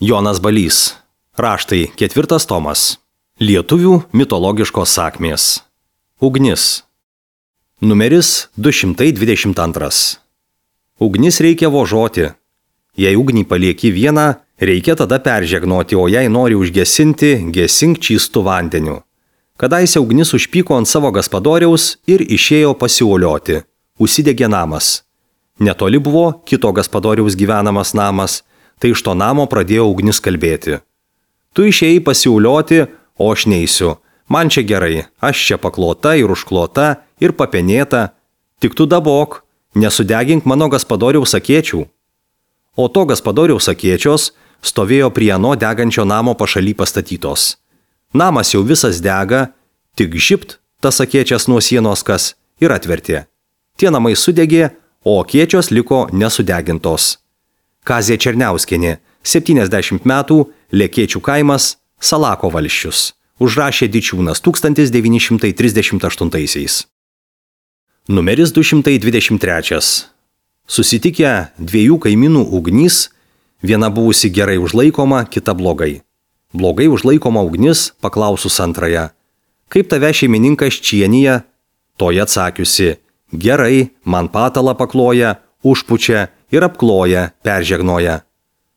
Jonas Balys. Raštai 4 tomas. Lietuvių mitologiškos sakmės. Ugnis. Numeris 222. Ugnis reikia vožoti. Jei ugnį palieki vieną, reikia tada peržegnoti, o jei nori užgesinti, gesink čystų vandeniu. Kadaise ugnis užpyko ant savo gaspadoriaus ir išėjo pasiuolioti. Užsidegė namas. Netoli buvo kito gaspadoriaus gyvenamas namas, tai iš to namo pradėjo ugnis kalbėti. Tu išėjai pasiuolioti, o aš neisiu. Man čia gerai, aš čia paklota ir užklota ir papenėta. Tik tu dabok, nesudegink mano gaspadoriaus akėčių. O to gaspadoriaus akėčios stovėjo prie ano degančio namo pašaly pastatytos. Namas jau visas dega, tik žipt tas akėčias nuo sienos kas ir atvertė. Tie namai sudegė, o akėčios liko nesudegintos. Kazė Černiauskienė, 70 metų, Lekėčių kaimas, Salako valsčius. Užrašė Dičiūnas 1938. Numeris 223. Susitikę dviejų kaimynų ugnys, viena buvusi gerai užlaikoma, kita blogai. Blogai užlaikoma ugnis paklausus antrąją. Kaip tave šeimininkas čienyje? Toji atsakiusi, gerai, man patalą pakloja, užpučia ir apkloja, peržegnoja.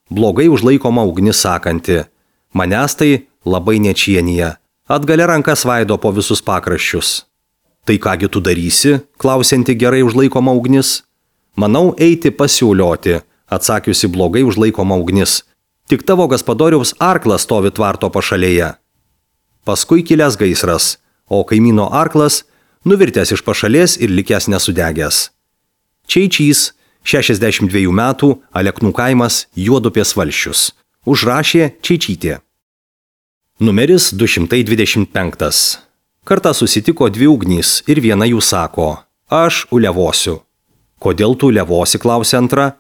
Blogai užlaikoma ugnis sakanti, manęs tai labai nečienyje, atgalia rankas vaido po visus pakraščius. Tai kągi tu darysi, klausianti gerai užlaikoma ugnis? Manau eiti pasiulioti, atsakiusi blogai užlaikoma ugnis. Tik tavo gaspadoriaus arklas stovi tvarto pašalėje. Paskui kilęs gaisras, o kaimyno arklas nuvirtęs iš pašalės ir likęs nesudegęs. Čeičys, 62 metų, Aleknų kaimas, Juodupės valsčius. Užrašė Čeičytė. Numeris 225. Kartą susitiko dvi ugnys ir viena jų sako, aš ulevosiu. Kodėl tu ulevosi, klausė antra?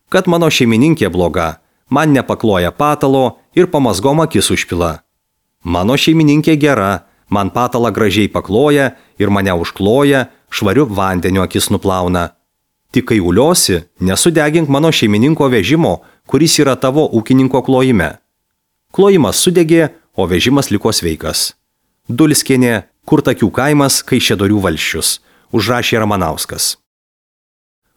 Kad mano šeimininkė bloga, man nepakloja patalo ir pamazgom akis užpila. Mano šeimininkė gera, man patalą gražiai pakloja ir mane užkloja, švariu vandeniu akis nuplauna. Tik kai uliosi, nesudegink mano šeimininko vežimo, kuris yra tavo ūkininko klojime. Klojimas sudegė, o vežimas liko sveikas. Dulskienė, Kurtakių kaimas, Kaišiadorių valsčius. Užrašė Ramanauskas.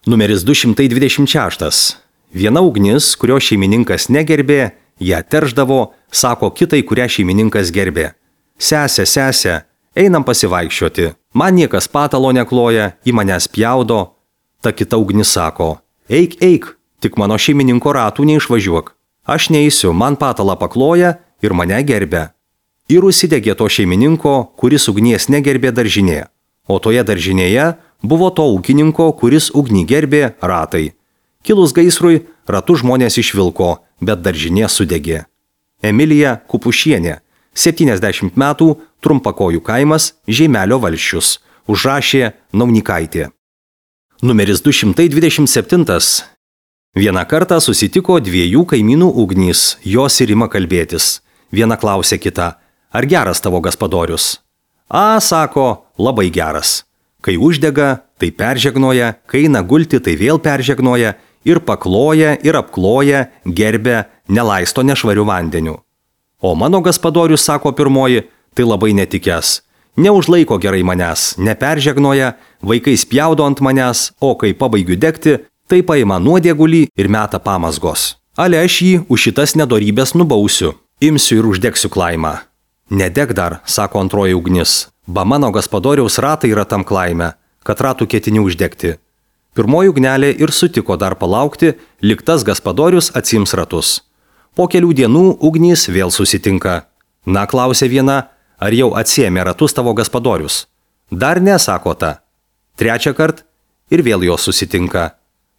Numeris 226. Viena ugnis, kurio šeimininkas negerbė, ją terždavo, sako kitai, kurią šeimininkas gerbė. Sese, einam pasivaikščioti. Man niekas patalo nekloja, į manęs pjaudo. Ta kita ugnis sako, eik, tik mano šeimininko ratų neišvažiuok. Aš neisiu, man patalą pakloja ir mane gerbė. Ir užsidegė to šeimininko, kuris ugnies negerbė daržinė. O toje daržinėje buvo to ūkininko, kuris ugnį gerbė, ratai. Kilus gaisrui, ratų žmonės išvilko, bet daržinė sudegė. Emilija Kupušienė, 70 metų, Trumpakojų kaimas, Žeimelio valsčius. Užrašė Naunikaitė. Numeris 227. Vieną kartą susitiko dviejų kaimynų ugnys, jos ir ima kalbėtis. Viena klausė kitą, ar geras tavo gaspadorius? A, sako, labai geras. Kai uždega, tai peržegnoja, kai eina gulti, tai vėl peržegnoja ir pakloja ir apkloja, gerbė, nelaisto nešvariu vandeniu. O mano gaspadorius, sako pirmoji, tai labai netikęs. Neužlaiko gerai manęs, neperžegnoja, vaikai spjaudo ant manęs, o kai pabaigiu degti, tai paima nuodėgulį ir meta pamazgos. Ale aš jį už šitas nedorybės nubausiu, imsiu ir uždegsiu klaimą. Nedeg dar, sako antroji ugnis, ba mano gaspadoriaus ratai yra tam klaime, kad ratų ketini uždegti. Pirmoji ugnelė ir sutiko dar palaukti, lyg tas gaspadorius atsiims ratus. Po kelių dienų ugnys vėl susitinka. Na, klausė viena, ar jau atsiėmė ratus tavo gaspadorius? Dar ne, sako ta. Trečią kartą ir vėl jos susitinka.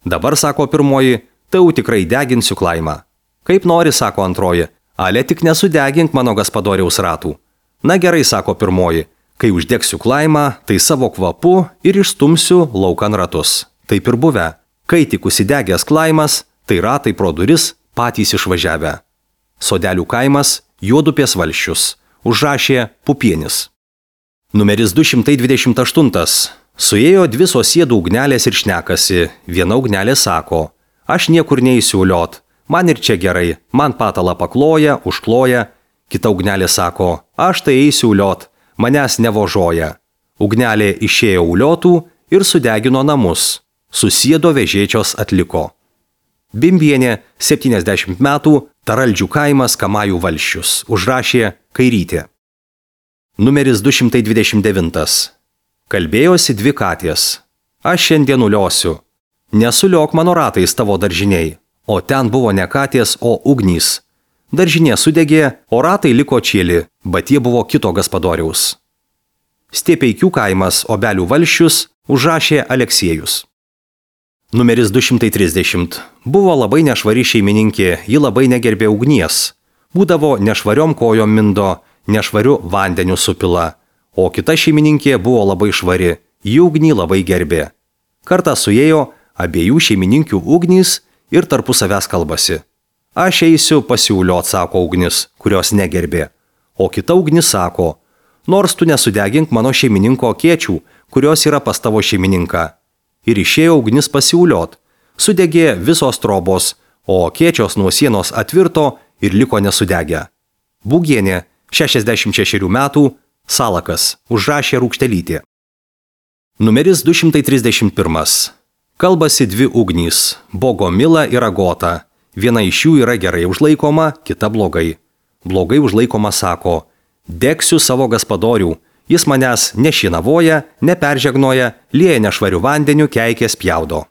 Dabar, sako pirmoji, tai jau tikrai deginsiu klaimą. Kaip nori, sako antroji, ale tik nesudegink mano gaspadoriaus ratų. Na gerai, sako pirmoji, kai uždegsiu klaimą, tai savo kvapu ir išstumsiu laukan ratus. Taip ir buvę. Kai tik užsidegęs klaimas, tai ratai pro duris patys išvažiavę. Sodelių kaimas, Juodupės valsčius. Užrašė Pupienis. Numeris 228. Suėjo dvi sosiedų ugnelės ir šnekasi. Viena ugnelė sako, aš niekur neįsiu uliot, Man ir čia gerai, man patalą pakloja, užkloja. Kita ugnelė sako, aš tai eisiu uliot, manęs nevožoja. Ugnelė išėjo uliotų ir sudegino namus. Susiedo vežėčios atliko. Bimbienė, 70 metų, Taraldžių kaimas, Kamajų valsčius. Užrašė Kairytė. Numeris 229. Kalbėjosi dvi katės. Aš šiandien uliosiu. Nesuliok mano ratais tavo daržiniai. O ten buvo ne katės, o ugnys. Daržinė sudegė, o ratai liko čėli, bet jie buvo kito gaspadoriaus. Stiepeikių kaimas, Obelių valsčius, užrašė Aleksiejus. Numeris 230. Buvo labai nešvari šeimininkė, ji labai negerbė ugnies. Būdavo nešvariom kojom mindo, nešvariu vandeniu supila. O kita šeimininkė buvo labai švari, ji ugnį labai gerbė. Kartą suėjo abiejų šeimininkių ugnys ir tarpusavęs kalbasi. Aš eisiu pasiūliot, sako ugnis, kurios negerbė. O kita ugnis sako, nors tu nesudegink mano šeimininko kėčių, kurios yra pas tavo šeimininką. Ir išėjo ugnis pasiūliot. Sudegė visos trobos, o kėčios nuo sienos atvirto ir liko nesudegę. Būgienė, 66 metų, Salakas, užrašė Rūkštelytė. Numeris 231. Kalbasi dvi ugnys, Bogomila ir Agota. Viena iš jų yra gerai užlaikoma, kita blogai. Blogai užlaikoma sako, degsiu savo gaspadorių. Jis manęs nešinavoja, neperžegnoja, lieja nešvariu vandeniu, keikės pjaudo.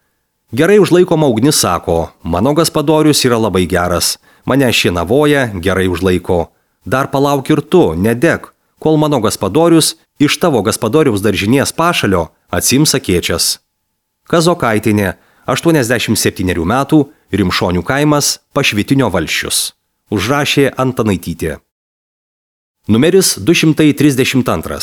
Gerai užlaikoma ugnis sako, mano gaspadorius yra labai geras, mane šinavoja, gerai užlaiko. Dar palauk ir tu, nedeg, kol mano gaspadorius iš tavo gaspadoriaus daržinės pašalio atsiims akėčias. Kazokaitinė, 87 metų, Rimšonių kaimas, Pašvitinio valsčius. Užrašė Antanaitytė. Numeris 232.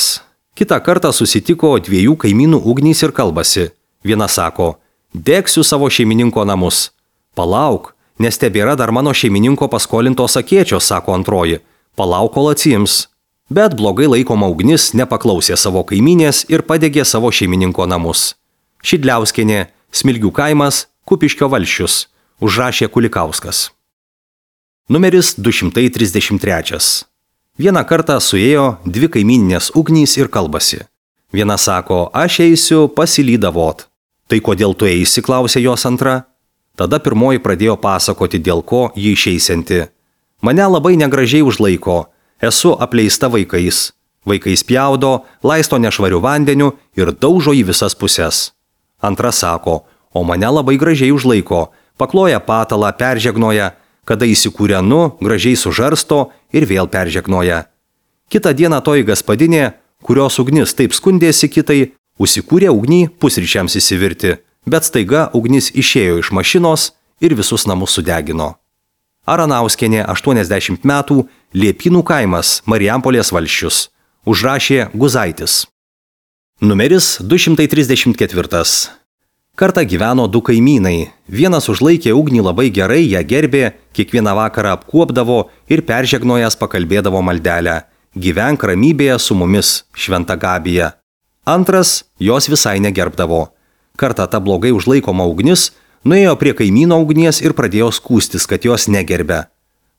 Kitą kartą susitiko dviejų kaimynų ugnys ir kalbasi. Viena sako, degsiu savo šeimininko namus. Palauk, nes tebėra dar mano šeimininko paskolintos akėčios, sako antroji. Palauk, kol atsiims. Bet blogai laikoma ugnis nepaklausė savo kaimynės ir padegė savo šeimininko namus. Šidliauskienė, Smilgių kaimas, Kupiškio valsčius. Užrašė Kulikauskas. Numeris 233. Vieną kartą suėjo dvi kaimyninės ugnys ir kalbasi. Viena sako, aš eisiu pasilydavot. Tai kodėl tu eisi, klausė jos antra. Tada pirmoji pradėjo pasakoti, dėl ko ji išeisianti. Mane labai negražiai užlaiko, esu apleista vaikais. Vaikais pjaudo, laisto nešvariu vandeniu ir daužo į visas puses. Antra sako, o mane labai gražiai užlaiko, pakloja patalą, peržegnoja, kada įsikūrenu, gražiai sužarsto ir vėl peržegnoja. Kitą dieną toji gaspadinė, kurios ugnis taip skundėsi kitai, užsikūrė ugnį pusryčiams įsivirti, bet staiga ugnis išėjo iš mašinos ir visus namus sudegino. Aranauskienė, 80 metų, Liepynų kaimas, Marijampolės valsčius. Užrašė Guzaitis. Numeris 234. Kartą gyveno du kaimynai. Vienas užlaikė ugnį labai gerai, ją gerbė, kiekvieną vakarą apkuopdavo ir peržegnojęs pakalbėdavo maldelę. Gyvenk ramybėje su mumis, Šventa Gabija. Antras jos visai negerbdavo. Kartą ta blogai užlaikoma ugnis nuėjo prie kaimyno ugnies ir pradėjo skųstis, kad jos negerbė.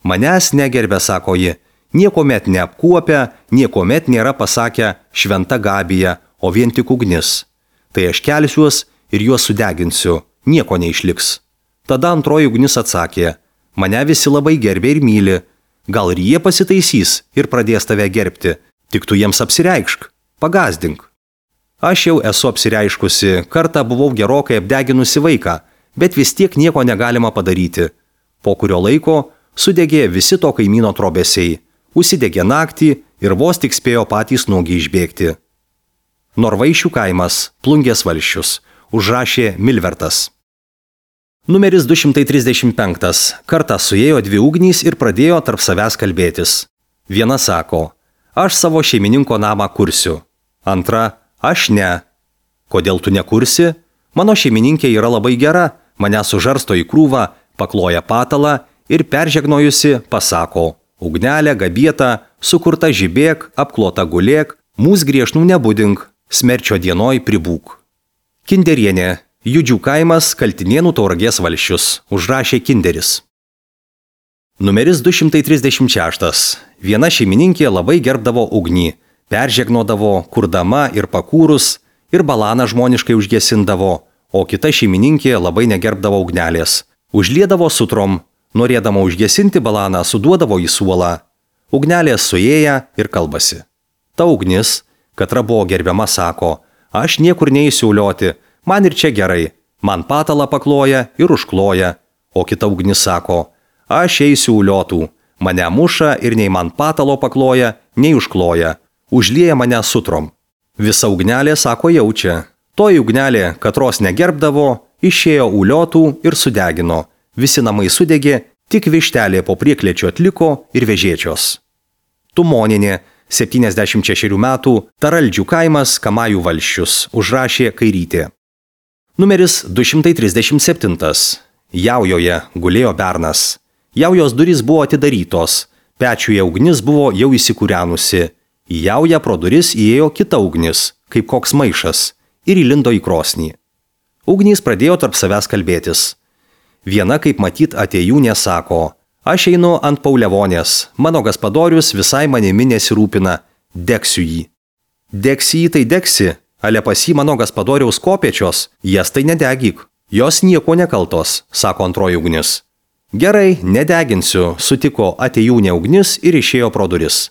Manęs negerbė, sako ji, niekomet neapkuopia, niekomet nėra pasakę Šventa Gabija, o vien tik ugnis. Tai aš kelsiuos ir juos sudeginsiu, nieko neišliks. Tada antroji ugnis atsakė, mane visi labai gerbė ir myli, gal ir jie pasitaisys ir pradės tave gerbti, tik tu jiems apsireikšk, pagazdink. Aš jau esu apsireiškusi, kartą buvau gerokai apdeginusi vaiką, bet vis tiek nieko negalima padaryti. Po kurio laiko sudegė visi to kaimyno trobesiai, užsidegė naktį ir vos tik spėjo patys nuogiai išbėgti. Norvaišių kaimas, Plungės valsčius. Užrašė Milvertas. Numeris 235. Kartą suėjo dvi ugnys ir pradėjo tarp savęs kalbėtis. Viena sako, aš savo šeimininko namą kursiu. Antra, aš ne. Kodėl tu nekursi? Mano šeimininkė yra labai gera, mane sužarsto į krūvą, pakloja patalą ir peržegnojusi pasako, ugnelė gabieta, sukurta žibėk, apklota gulėk, mūs griežnų nebudink, smerčio dienoj pribūk. Kinderienė, Judžių kaimas, Kaltinėnų Tauragės valsčius. Užrašė Kinderis. Numeris 236. Viena šeimininkė labai gerbdavo ugnį, peržegnodavo, kurdama ir pakūrus, ir balaną žmoniškai užgesindavo, o kita šeimininkė labai negerbdavo ugnelės. Užliedavo sutrom, norėdama užgesinti balaną, suduodavo į suolą. Ugnelės suėję ir kalbasi. Ta ugnis, katra buvo gerbiama, sako, aš niekur neįsiu ulioti, man ir čia gerai, man patalą pakloja ir užkloja, o kita ugnis sako, aš eisiu uliotų, mane muša ir nei man patalo pakloja, nei užkloja, užlieja mane sutrom. Visa ugnelė, sako, jaučia. Toji ugnelė, katros negerbdavo, išėjo uliotų ir sudegino. Visi namai sudegė, tik vištelė po prieklėčio atliko ir vežėčios. Tumoninė, 76 metų, Taraldžių kaimas, Kamajų valsčius, užrašė Kairytė. Numeris 237. Jaujoje gulėjo bernas. Jaujos durys buvo atidarytos, pečiuje ugnis buvo jau įsikūrenusi. Į jaują pro duris įėjo kita ugnis, kaip koks maišas, ir įlindo į krosnį. Ugnys pradėjo tarp savęs kalbėtis. Viena, kaip matyt, atėjūnė sako, aš einu ant Paulevonės, mano gaspadorius visai manimi nesirūpina, degsiu jį. Degsi jį tai degsi, ale pas jį mano gaspadoriaus kopėčios, jas tai nedegyk. Jos nieko nekaltos, sako antroji ugnis. Gerai, nedeginsiu, sutiko atėjūnė ugnis ir išėjo pro duris.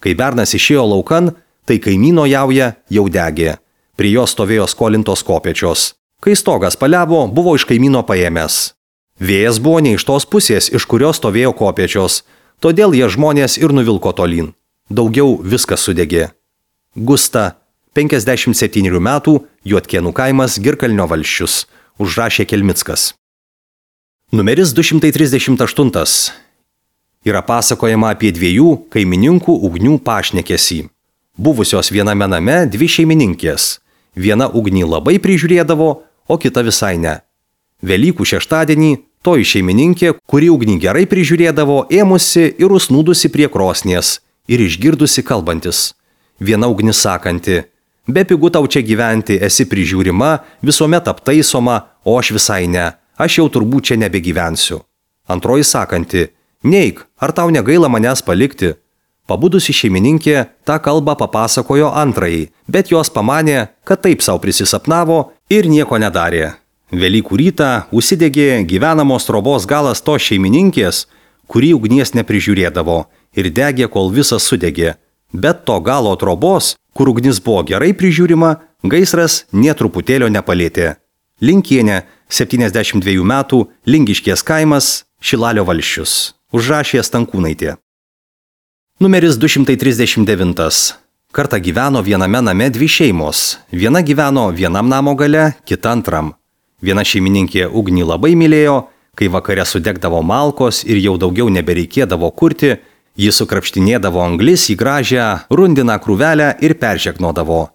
Kai bernas išėjo laukan, tai kaimyno jauja jau degė. Prie jo stovėjo skolintos kopėčios. Kai stogas paliavo, buvo iš kaimyno paėmęs. Vėjas buvo ne iš tos pusės, iš kurios stovėjo kopėčios, todėl jie žmonės ir nuvilko tolyn. Daugiau viskas sudegė. Gusta, 57 metų, Juodkėnų kaimas, Girkalnio valsčius, užrašė Kelmickas. Numeris 238. Yra pasakojama apie dviejų kaimininkų ugnių pašnekesį. Buvusios viename name dvi šeimininkės. Viena ugnį labai prižiūrėdavo, o kita visai ne. Velykų šeštadienį toji šeimininkė, kuri ugnį gerai prižiūrėdavo, ėmusi ir užsnūdusi prie krosnies ir išgirdusi kalbantis. Viena ugnis sakanti, bepigu tau čia gyventi, esi prižiūrima, visuomet aptaisoma, o aš visai ne, aš jau turbūt čia nebegyvensiu. Antroji sakanti, neik, ar tau negaila manęs palikti? Pabudusi šeimininkė tą kalbą papasakojo antrajai, bet jos pamanė, kad taip savo prisisapnavo ir nieko nedarė. Velykų rytą užsidegė gyvenamos trobos galas tos šeimininkės, kuri ugnies neprižiūrėdavo ir degė, kol visas sudegė. Bet to galo trobos, kur ugnis buvo gerai prižiūrima, gaisras nė truputėlio nepalėtė. Linkienė, 72 metų, Lingiškės kaimas, Šilalio valsčius, užrašė Stankūnaitė. Numeris 239. Kartą gyveno viename name dvi šeimos. Viena gyveno vienam namo gale, kita antram. Viena šeimininkė ugnį labai mylėjo, kai vakare sudegdavo malkos ir jau daugiau nebereikėdavo kurti, ji sukrapštinėdavo anglis į gražią rundiną krūvelę ir peržegnodavo.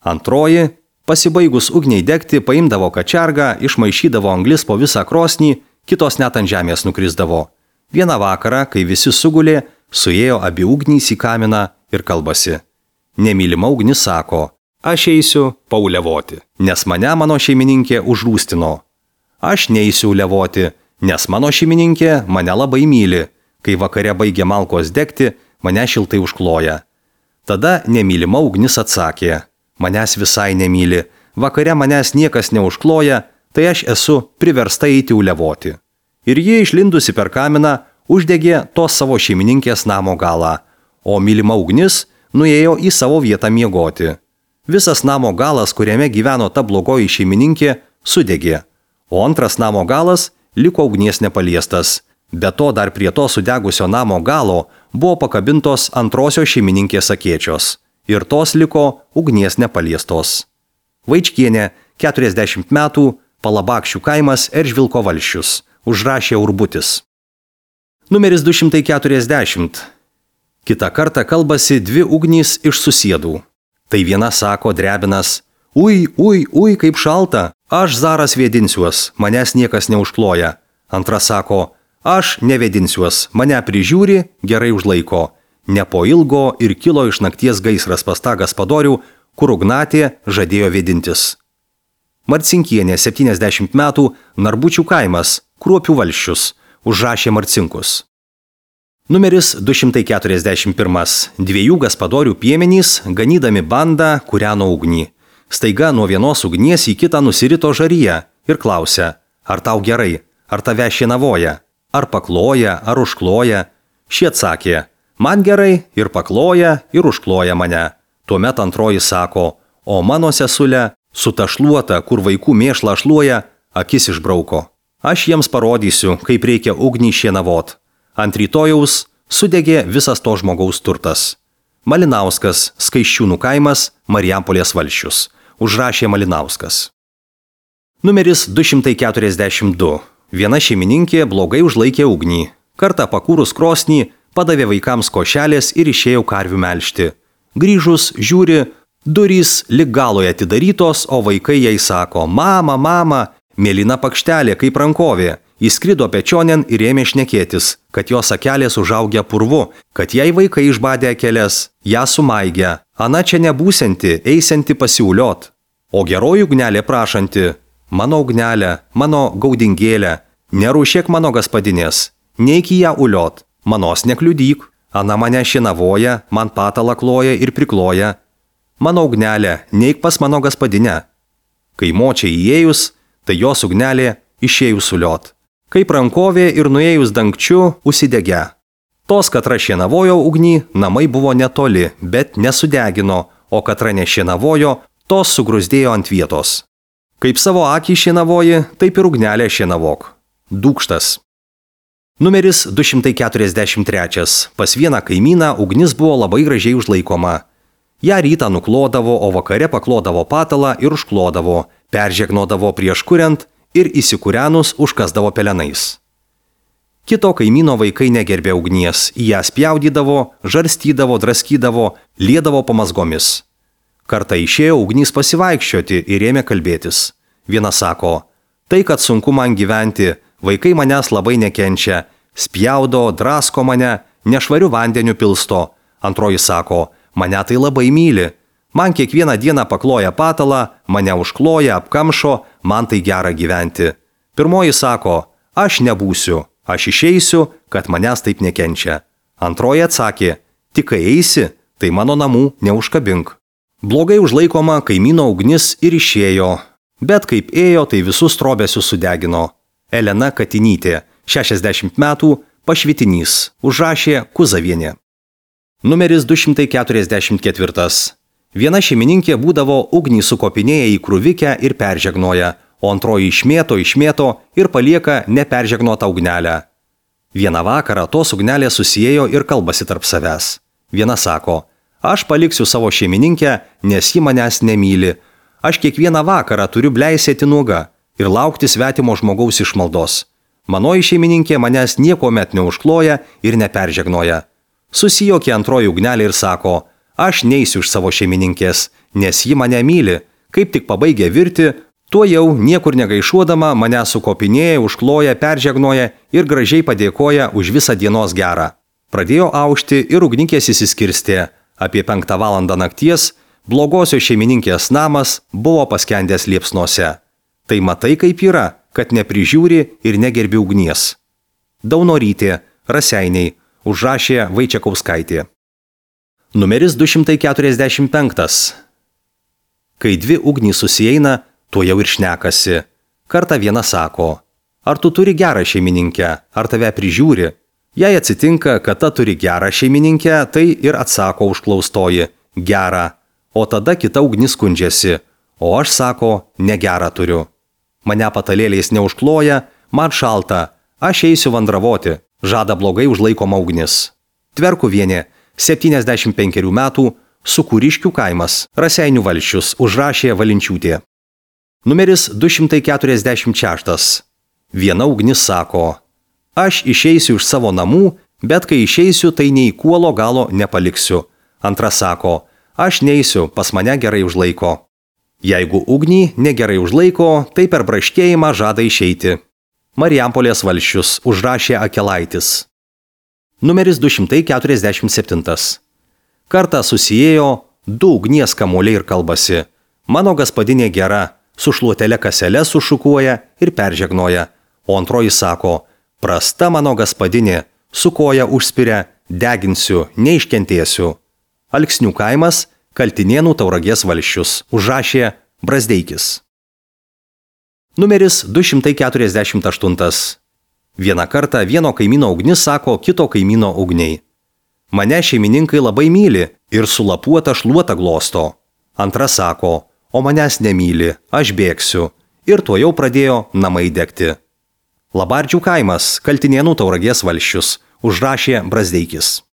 Antroji, pasibaigus ugniai degti, paimdavo kačergą, išmaišydavo anglis po visą krosnį, kitos net ant žemės nukrisdavo. Vieną vakarą, kai visi sugulė, suėjo abi ugnys į kaminą ir kalbasi. Nemylima ugnis sako, aš eisiu paulevoti, nes mane mano šeimininkė užrūstino. Aš neisiu levoti, nes mano šeimininkė mane labai myli. Kai vakare baigė malkos degti, mane šiltai užkloja. Tada nemylima ugnis atsakė, manęs visai nemyli, vakare manęs niekas neužkloja, tai aš esu priversta eiti ulevoti. Ir ji išlindusi per kaminą, uždegė tos savo šeimininkės namo galą, o mylima ugnis nuėjo į savo vietą miegoti. Visas namo galas, kuriame gyveno ta blogoji šeimininkė, sudegė, o antras namo galas liko ugnies nepaliestas. Be to dar prie to sudegusio namo galo buvo pakabintos antrosios šeimininkės akėčios ir tos liko ugnies nepaliestos. Vaičkienė, 40 metų, Palabakščių kaimas, Eržvilko valsčius, užrašė Urbutis. Numeris 240. Kita kartą kalbasi dvi ugnys iš susiedų. Tai viena sako drebinas, ui, kaip šalta, aš zaras vėdinsiuos, manęs niekas neužkloja. Antra sako, aš nevedinsiuos, mane prižiūri, gerai užlaiko. Ne po ilgo ir kilo iš nakties gaisras pas tą gaspadorių, kur ugnatė žadėjo vėdintis. Marcinkienė, 70 metų, Narbučių kaimas, Kruopių valsčius, užrašė Marcinkus. Numeris 241. Dviejų gaspadorių piemenys, ganydami bandą, kūreno ugnį. Staiga nuo vienos ugnies į kitą nusirito žaryje ir klausia, ar tau gerai, ar tave šienavoja, ar pakloja, ar užkloja. Šie atsakė, man gerai ir pakloja ir užkloja mane. Tuomet antroji sako, o mano sesule, sutašluota, kur vaikų mėšlą šluoja, akis išbrauko. Aš jiems parodysiu, kaip reikia ugnį šienavot. Ant rytojaus sudegė visas to žmogaus turtas. Malinauskas, Skaisčiūnų kaimas, Marijampolės valsčius. Užrašė Malinauskas. Numeris 242. Viena šeimininkė blogai užlaikė ugnį. Kartą pakūrus krosnį, padavė vaikams košelės ir išėjo karvių melžti. Grįžus, žiūri, durys lig galoje atidarytos, o vaikai jai sako, mama, mama, mėlyna pakštelė kaip rankovė. Įskrido pečionėn ir ėmė šnekėtis, kad jos akelės užaugę purvu, kad jai vaikai išbadė akelės, ją sumaigė. Ana čia nebūsianti, eisianti pasiuliot. O geroji ugnelė prašanti, mano ugnelė, mano gaudingėlė, nerūšėk mano gaspadinės, neik į ją uliot, manos nekliudyk. Ana mane šienavoja, man patalą kloja ir prikloja. Mano ugnelė, neik pas mano gaspadinę. Kai močiai įėjus, tai jos ugnelė išėjus uliot. Kaip rankovė ir nuėjus dangčiu užsidegė. Tos katra šienavojo ugnį, namai buvo netoli, bet nesudegino, o katra nešienavojo, tos sugrūzdėjo ant vietos. Kaip savo akį šienavoji, taip ir ugnelę šienavok. Dūkštas. Numeris 243. Pas vieną kaimyną ugnis buvo labai gražiai užlaikoma. Ja rytą nuklodavo, o vakare paklodavo patalą ir užklodavo, peržegnodavo prieš kuriant ir įsikūrenus užkasdavo pelenais. Kito kaimyno vaikai negerbė ugnies, į ją spjaudydavo, žarstydavo, draskydavo, liedavo pamazgomis. Kartą išėjo ugnys pasivaikščioti ir ėmė kalbėtis. Viena sako, tai kad sunku man gyventi, vaikai manęs labai nekenčia, spjaudo, drasko mane, nešvariu vandeniu pilsto. Antroji sako, mane tai labai myli. Man kiekvieną dieną pakloja patalą, mane užkloja, apkamšo, man tai gera gyventi. Pirmoji sako, aš nebūsiu, aš išeisiu, kad manęs taip nekenčia. Antroji atsakė, tik kai eisi, tai mano namų neužkabink. Blogai užlaikoma kaimyno ugnis ir išėjo, bet kaip ėjo, tai visus trobesius sudegino. Elena Katinytė, 60 metų, Pašvitinys, užrašė Kuzavienė. Numeris 244. Viena šeimininkė būdavo ugnį sukopinėję į krūvikę ir peržegnoja, o antroji išmėto ir palieka neperžegnotą ugnelę. Vieną vakarą tos ugnelės susiejo ir kalbasi tarp savęs. Viena sako, aš paliksiu savo šeimininkę, nes ji manęs nemyli. Aš kiekvieną vakarą turiu bleisėti nuoga ir laukti svetimo žmogaus išmaldos. Manoji šeimininkė manęs niekuomet neužkloja ir neperžegnoja. Susijokė antroji ugnelė ir sako, aš neisiu iš savo šeimininkės, nes ji mane myli. Kaip tik pabaigė virti, tuo jau niekur negaišuodama mane sukopinėja, užkloja, peržegnoja ir gražiai padėkoja už visą dienos gerą. Pradėjo aušti ir ugnikės įsiskirstė. Apie 5 valandą nakties blogosios šeimininkės namas buvo paskendęs liepsnose. Tai matai kaip yra, kad neprižiūri ir negerbi ugnies. Daunorytė, Raseiniai, užrašė Vaičiakauskaitė. Numeris 245. Kai dvi ugnys susieina, tuo jau ir šnekasi. Kartą viena sako, ar tu turi gerą šeimininkę, ar tave prižiūri? Jei atsitinka, kad ta turi gerą šeimininkę, tai ir atsako užklaustoji, gerą. O tada kita ugnis skundžiasi, o aš sako, negerą turiu. Mane patalėliais neužkloja, man šalta, aš eisiu vandravoti, žada blogai užlaikoma ugnis. Tverkuvienė, 75 metų, Sukūriškių kaimas, Raseinių valsčius, užrašė Valinčiūtė. Numeris 246. Viena ugnis sako, aš išeisiu iš savo namų, bet kai išeisiu, tai nei kuolo galo nepaliksiu. Antra sako, aš neisiu, pas mane gerai užlaiko. Jeigu ugnį negerai užlaiko, tai per braškėjimą žada išeiti. Marijampolės valsčius, užrašė Akelaitis. Numeris 247. Kartą susijėjo 2 ugnies kamuoliai ir kalbasi. Mano gaspadinė gera, su šluotelė kaselė sušukuoja ir peržegnoja. O antroji sako, prasta mano gaspadinė, su koja užspiria, deginsiu, neiškentėsiu. Alksnių kaimas, Kaltinėnų Tauragės valsčius, užrašė Brazdeikis. Numeris 248. Vieną kartą vieno kaimyno ugnis sako kito kaimyno ugniai: mane šeimininkai labai myli ir sulapuotą šluotą glosto. Antra sako: o manęs nemyli, aš bėgsiu. Ir tuojau pradėjo namai degti. Labardžių kaimas, Kaltinėnų Tauragės valsčius, užrašė Brazdeikis.